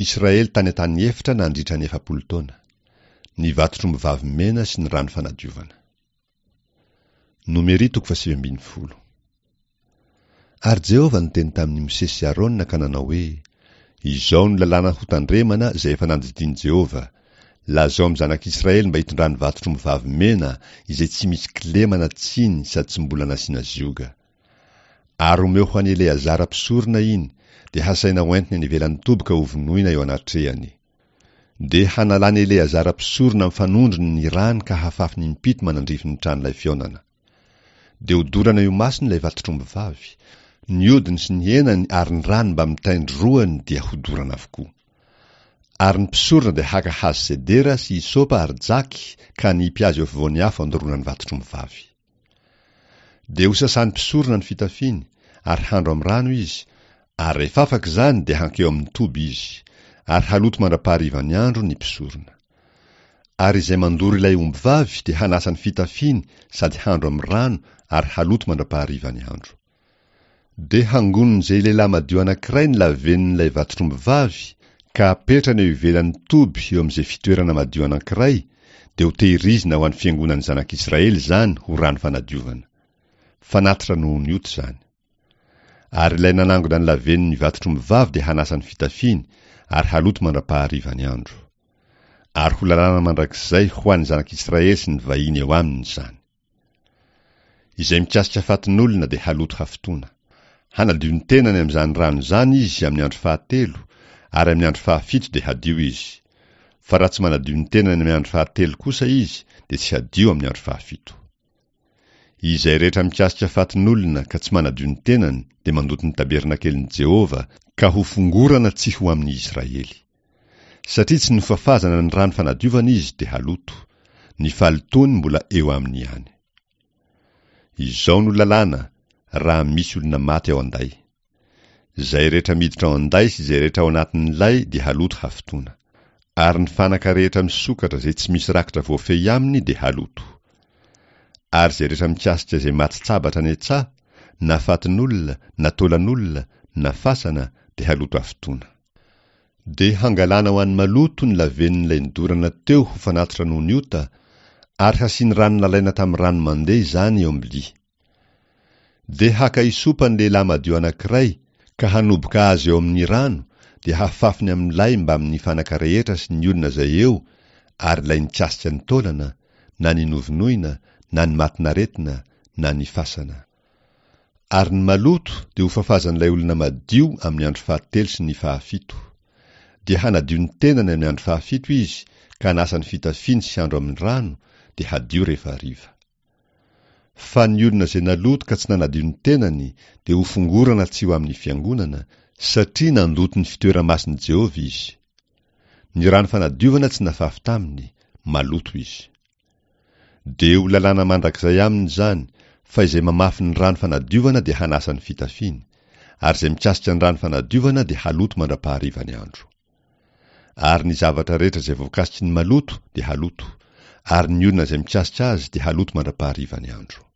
Israely tany an-tany efitra nandritra ny 40 taona. Ny vatotr'ombivavy mena sy ny rano fanadiovana. Nomery toko faha-19. Ary Jehovah niteny tamin'i Mosesy sy Arona ka nanao hoe, Izao no lalàna hotandremana izay efa nandidian'i Jehovah, Lazao amin'ny zanak'Israely mba hitondrany vatotr'ombivavy mena izay tsy misy kilema na tsiny sady tsy mbola nasiana zioga. Ary omeo ho an'i Eleazara mpisorona iny, dia hasaina hoentiny any ivelan'ny toby ka hovonoina eo anatrehany. Dia hanalan'i Eleazara mpisorona amin'ny fanondrony ny rany ka hafafiny impito manandrify ny tranolay fihaonana. Dia hodorana eo imasony ilay vatotr'ombivavy, ny hodiny sy ny henany ary ny rany mbamin'ny tain-droany dia hodorana avokoa. Ary ny mpisorona dia haka hazo sedera sy hysopa ary jaky ka hanipy azy eo afovoan'ny afo handoroana ny vatotr'ombivavy. Dia hosasan'ny mpisorona ny fitafiany, ary handro amin'ny rano izy, ary rehefa afaka izany dia hankeo amin'ny toby izy, ary haloto mandra-paharivan'ny andro ny mpisorona. Ary izay mandoro ilay ombivavy dia hanasa ny fitafiany sady handro amin'ny rano ary haloto mandra-paharivan'ny andro. Dia hangonin'izay lehilahy madio anankiray ny lavenin'ilay vatotr'ombivavy ka apetrany eo ivelan'ny toby eo amin'izay fitoerana madio anankiray, dia hotehirizina ho an'ny fiangonan'ny zanak'Israely izany ho rano fanadiovana. Fanatitra noho ny ota izany. Ary ilay nanangona ny lavenin'ny vatotr'ombivavy dia hanasa ny fitafiany ary haloto mandra-paharivan'ny andro. Ary ho lalàna mandrakizay ho an'ny zanak'Israely sy ny vahiny eo aminy izany. Izay mikasika fatin'olona dia haloto hafitoana. Hanadio ny tenany amin'izany rano izany izy amin'ny andro fahatelo, ary amin'ny andro fahafito dia hadio izy. Fa raha tsy manadio ny tenany amin'ny andro fahatelo kosa izy, dia tsy hadio amin'ny andro fahafito. Izay rehetra mikasika fatin'olona ka tsy manadio ny tenany dia mandoto ny tabernakelin'i Jehovah ka hofongorana tsy ho amin'ny Israely. Satria tsy nofafazana ny rano fanadiovana izy dia haloto, ny fahalotoany mbola eo aminy ihany. Izao no lalàna raha misy olona maty ao an-day. Izay rehetra miditra ao an-day sy izay rehetra ao anatin'ny lay dia haloto hafitoana. Ary ny fanaka rehetra misokatra izay tsy misy rakitra voafehy aminy dia haloto. Ary izay rehetra mikasika izay maty tsabatra any an-tsaha, na fatin'olona, na taolan'olona, na fasana, dia haloto hafitoana. Dia hangalana ho an'ny maloto ny lavenin'ilay nodorana teo ho fanatitra noho ny ota, ary hasiany rano nalaina tamin'ny rano mandeha izany eo am-bilia. Dia haka hisopa ny lehilahy madio anankiray, ka hanoboka azy eo amin'ny rano, dia hafafiny amin'ilay mbamin'ny fanaka rehetra sy ny olona izay eo, ary ilay nikasika ny taolana, na ny novonoina, na ny matin'aretina, na ny fasana. Ary ny maloto dia hofafazan'ilay olona madio amin'ny andro fahatelo sy ny fahafito. Dia hanadio ny tenany amin'ny andro fahafito izy ka hanasa ny fitafiany sy handro amin'ny rano, dia hadio rehefa hariva. Fa ny olona izay naloto ka tsy nanadio ny tenany dia hofongorana tsy ho amin'ny fiangonana, satria nandoto ny fitoera-masin'i Jehovah izy. Ny rano fanadiovana tsy nafafy taminy, maloto izy. Dia ho lalàna mandrakizay aminy izany, fa izay mamafy ny rano fanadiovana dia hanasa ny fitafiany, ary izay mikasika ny rano fanadiovana dia haloto mandra-paharivan'ny andro. Ary ny zavatra rehetra izay voakasiky ny maloto dia haloto, ary ny olona izay mikasika azy dia haloto mandra-paharivan'ny andro.